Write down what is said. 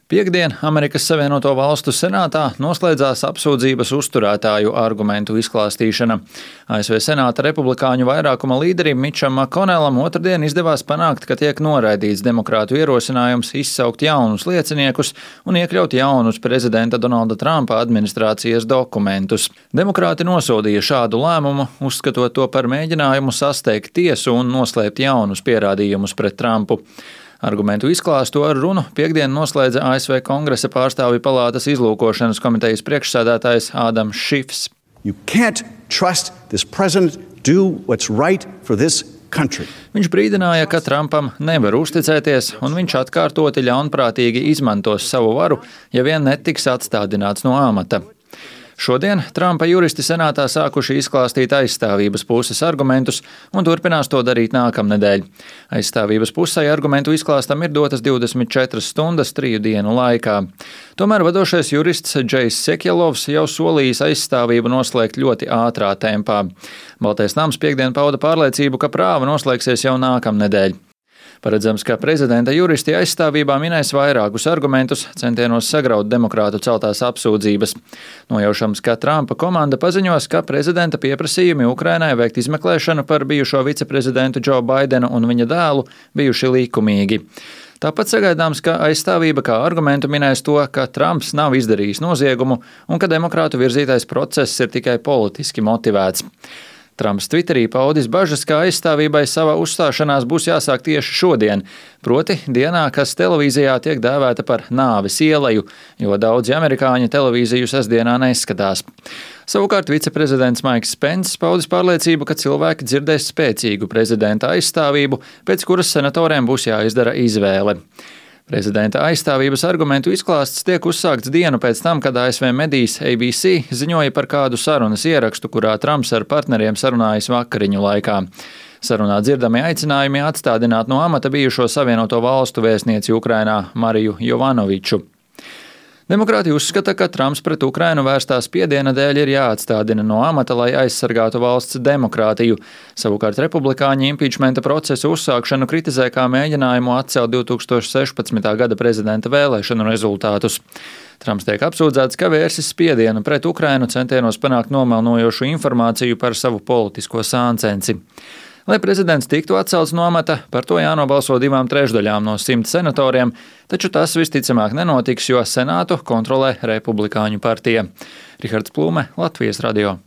Piektdien Amerikas Savienoto Valstu senātā noslēdzās apsūdzības uzturētāju argumentu izklāstīšana. ASV senāta republikāņu vairākuma līderim Mičam Makonelam otrdien izdevās panākt, ka tiek noraidīts demokrātu ierosinājums izsaukt jaunus lieciniekus un iekļaut jaunus prezidenta Donalda Trumpa administrācijas dokumentus. Demokrāti nosodīja šādu lēmumu, uzskatot to par mēģinājumu sasteigt tiesu un noslēpt jaunus pierādījumus pret Trumpu. Argumentu izklāstu ar runu piektdien noslēdza ASV Kongresa pārstāvju palātas izlūkošanas komitejas priekšsēdētājs Ādams Šifs. Viņš brīdināja, ka Trumpam nevar uzticēties, un viņš atkārtoti ļaunprātīgi izmantos savu varu, ja vien netiks atstādināts no amata. Šodien Trumpa juristi senātā sākuši izklāstīt aizstāvības puses argumentus un turpinās to darīt nākamnedēļ. Aizstāvības pusei argumentu izklāstam ir dotas 24 stundas 3 dienu laikā. Tomēr vadošais jurists Džejs Sekjelovs jau solījis aizstāvību noslēgt ļoti ātrā tempā. Baltais nams piektdien pauda pārliecību, ka prāva noslēgsies jau nākamnedēļ. Paredzams, ka prezidenta juristi aizstāvībā minēs vairākus argumentus centienos sagraut demokrātu celtās apsūdzības. Nojaušams, ka Trumpa komanda paziņos, ka prezidenta pieprasījumi Ukrainai veikt izmeklēšanu par bijušo viceprezidentu Džo Baidenu un viņa dēlu bijuši likumīgi. Tāpat sagaidāms, ka aizstāvība kā argumentu minēs to, ka Trumps nav izdarījis noziegumu un ka demokrātu virzītais process ir tikai politiski motivēts. Trumps Twitterī paudis bažas, ka aizstāvībai savā uzstāšanās būs jāsāk tieši šodien, proti dienā, kas televīzijā tiek dēvēta par nāves ieleju, jo daudzi amerikāņi televīziju sestdienā neskatās. Savukārt viceprezidents Maiks Pence paudis pārliecību, ka cilvēki dzirdēs spēcīgu prezidenta aizstāvību, pēc kuras senatoriem būs jāizdara izvēle. Prezidenta aizstāvības argumentu izklāsts tiek uzsākts dienu pēc tam, kad ASV medijs ABC ziņoja par kādu sarunas ierakstu, kurā Trumps ar partneriem sarunājas vakariņu laikā. Sarunā dzirdami aicinājumi atstādināt no amata bijušo Savienoto Valstu vēstnieci Ukrainā Mariju Jovanoviču. Demokrāti uzskata, ka Trumps pret Ukrainu vērstā spiediena dēļ ir jāatstādina no amata, lai aizsargātu valsts demokrātiju. Savukārt republikāņi impičmenta procesu uzsākšanu kritizē kā mēģinājumu atcelt 2016. gada prezidenta vēlēšanu rezultātus. Trumps tiek apsūdzēts, ka vērsis spiedienu pret Ukrainu centienos panākt nomelnojošu informāciju par savu politisko sāncensi. Lai prezidents tiktu atcelts no amata, par to jānobalso 2/3 no 100 senatoriem, taču tas visticamāk nenotiks, jo Senātu kontrolē Republikāņu partija. Rihards Plūme, Latvijas radio.